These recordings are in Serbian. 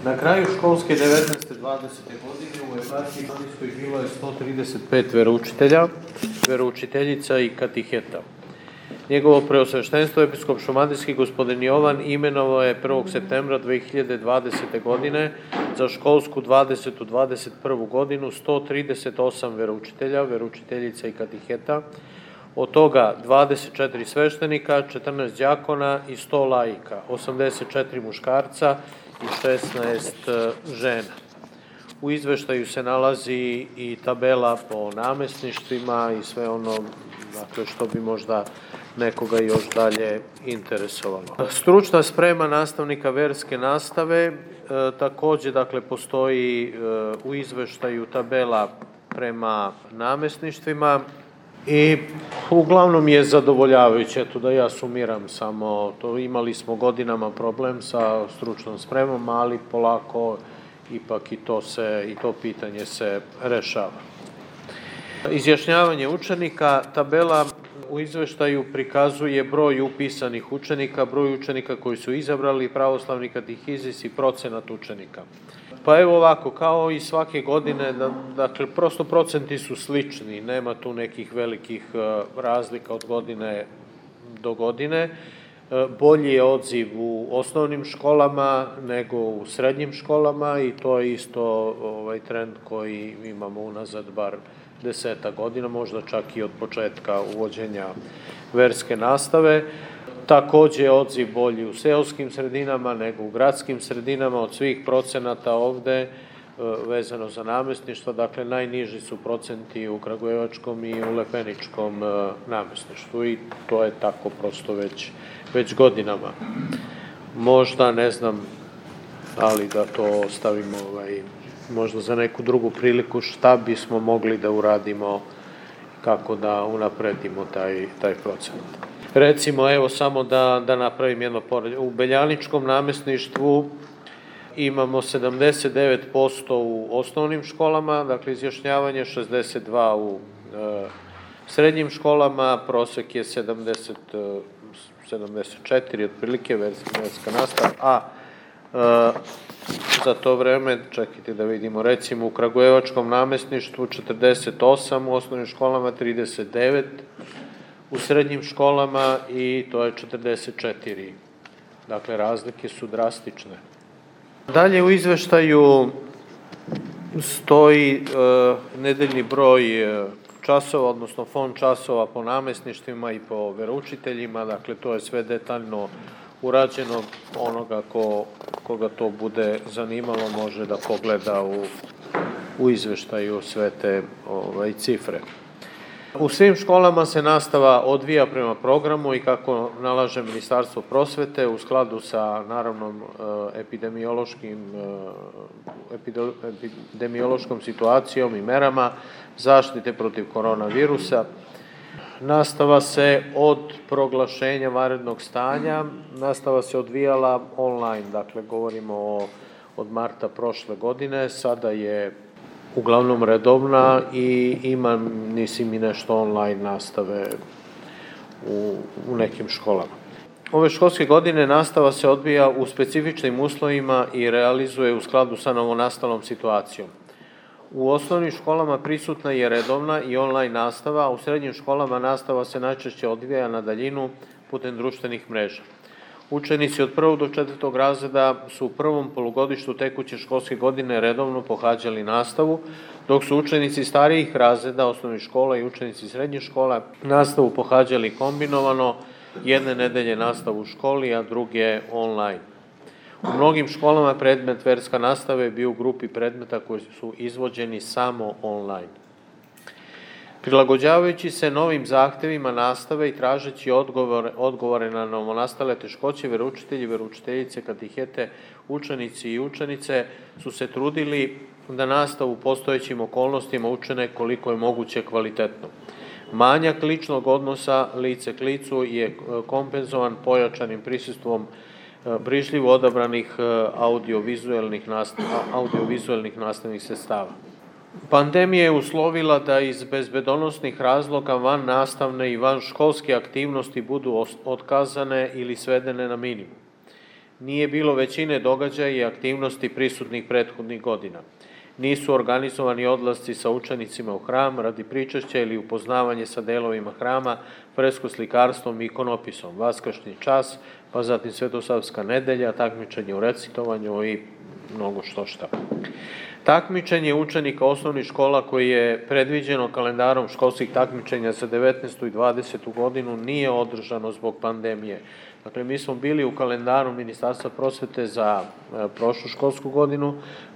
Na kraju školske 19. 20. godine u eparhiji Banijskoj bilo je 135 veroučitelja, veroučiteljica i katiheta. Njegovo preosveštenstvo episkop šumadijski gospodin Jovan imenovao je 1. septembra 2020. godine za školsku 2021. godinu 138 veroučitelja, veroučiteljica i katiheta, od toga 24 sveštenika, 14 đakona i 100 laika, 84 muškarca i 16 žena. U izveštaju se nalazi i tabela po namesništvima i sve ono što bi možda nekoga još dalje interesovalo. Stručna sprema nastavnika verske nastave, takođe postoji u izveštaju tabela prema namesništvima i uglavnom je zadovoljavajuće. Eto da ja sumiram samo to, imali smo godinama problem sa stručnom spremom, ali polako ipak i to pitanje se rešava. Izjašnjavanje učenika, tabela u izveštaju prikazuje broj upisanih učenika, broj učenika koji su izabrali pravoslavni katehizis i procenat učenika. Pa evo ovako, kao i svake godine, dakle, prosto procenti su slični, nema tu nekih velikih razlika od godine do godine. Bolji je odziv u osnovnim školama nego u srednjim školama i to je isto trend koji imamo unazad bar 10 godina, možda čak i od početka uvođenja verske nastave. Takođe je odziv bolji u seoskim sredinama nego u gradskim sredinama. Od svih procenata ovde vezano za namesništva, dakle najniži su procenti u kragujevačkom i u lepeničkom namesništvu i to je tako prosto već godinama. Možda, ne znam, ali da to ostavimo možda za neku drugu priliku, šta bismo mogli da uradimo, kako da unapredimo taj procenat. Recimo, evo samo da napravim jedno poređenje. U Beljaničkom namesništvu imamo 79% u osnovnim školama, dakle izjašnjavanje, 62% u srednjim školama, prosek je 74, otprilike verska nastava, a za to vreme, čekajte da vidimo, recimo u kragujevačkom namesništvu 48, u osnovnim školama 39, u srednjim školama i to je 44. Dakle, razlike su drastične. Dalje u izveštaju stoji nedeljni broj časova, odnosno fond časova po namesništvima i po veroučiteljima, dakle to je sve detaljno urađeno. Onoga koga to bude zanimalo može da pogleda u izveštaju sve te cifre. U svim školama se nastava odvija prema programu i kako nalaže Ministarstvo prosvete u skladu sa naravno epidemiološkom situacijom i merama zaštite protiv koronavirusa. Nastava se od proglašenja vanrednog stanja, nastava se odvijala online, dakle govorimo od marta prošle godine, sada je uglavnom redovna i ima i nešto online nastave u nekim školama. Ove školske godine nastava se odvija u specifičnim uslovima i realizuje u skladu sa novonastalom situacijom. U osnovnim školama prisutna je redovna i online nastava, a u srednjim školama nastava se najčešće odvija na daljinu putem društvenih mreža. Učenici od 1. do 4. razreda su u prvom polugodištu tekuće školske godine redovno pohađali nastavu, dok su učenici starijih razreda osnovnih škola i učenici srednjih škola nastavu pohađali kombinovano, jedne nedelje nastavu u školi, a druge online. U mnogim školama predmet verska nastava je bio u grupi predmeta koji su izvođeni samo online. Prilagođavajući se novim zahtevima nastave i tražeći odgovore na novonastale teškoće, veroučitelji, veroučiteljice, katihete, učenici i učenice su se trudili da nastavu u postojećim okolnostima učine koliko je moguće kvalitetno. Manjak ličnog odnosa lice k licu je kompenzovan pojačanim prisustvom brižljivo odabranih audiovizuelnih nastavnih sredstava. Pandemija je uslovila da iz bezbedonosnih razloga van nastavne i van školske aktivnosti budu otkazane ili svedene na minimum. Nije bilo većine događaja i aktivnosti prisutnih prethodnih godina. Nisu organizovani odlasci sa učenicima u hram radi pričašća ili upoznavanje sa delovima hrama, fresko-slikarstvom i ikonopisom, vaskršnji čas, pa zatim Svetosavska nedelja, takmičenje u recitovanju i mnogo šta. Takmičenje učenika osnovnih škola koji je predviđeno kalendarom školskih takmičenja za 19. i 20. godinu nije održano zbog pandemije. Dakle, mi smo bili u kalendaru Ministarstva prosvete za prošlu školsku godinu,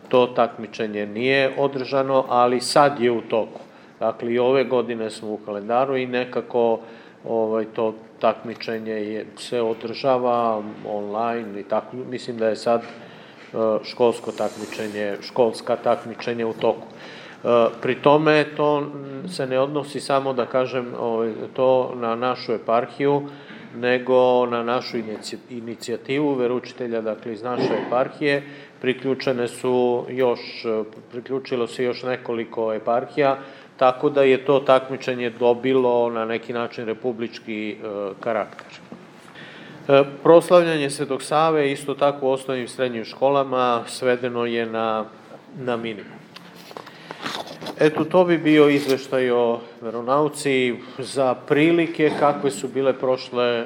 to takmičenje nije održano, ali sad je u toku. Dakle, i ove godine smo u kalendaru i nekako to takmičenje se održava online i tako. Mislim da je sad školska takmičenje u toku. Pri tome to se ne odnosi samo, da kažem, to na našu eparhiju, nego na našu inicijativu veroučitelja, dakle iz naše eparhije. Priključilo se još nekoliko eparhija, tako da je to takmičenje dobilo na neki način republički karakter. Proslavljanje Svetog Save isto tako u osnovnim i srednjim školama svedeno je na minimum. Eto, to bi bio izveštaj o veronauci za prilike kakve su bile prošle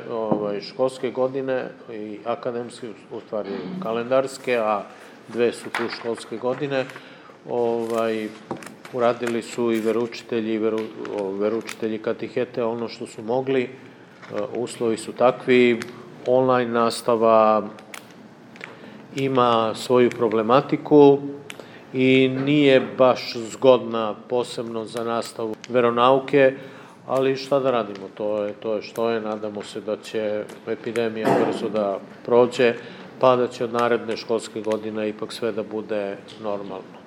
školske godine i akademske, u stvari kalendarske, a 2 su tu školske godine. Uradili su i veroučitelji katihete ono što su mogli, uslovi su takvi, online nastava ima svoju problematiku i nije baš zgodna posebno za nastavu veronauke, ali šta da radimo, to je što je, nadamo se da će epidemija brzo da prođe, pa da će od naredne školske godine ipak sve da bude normalno.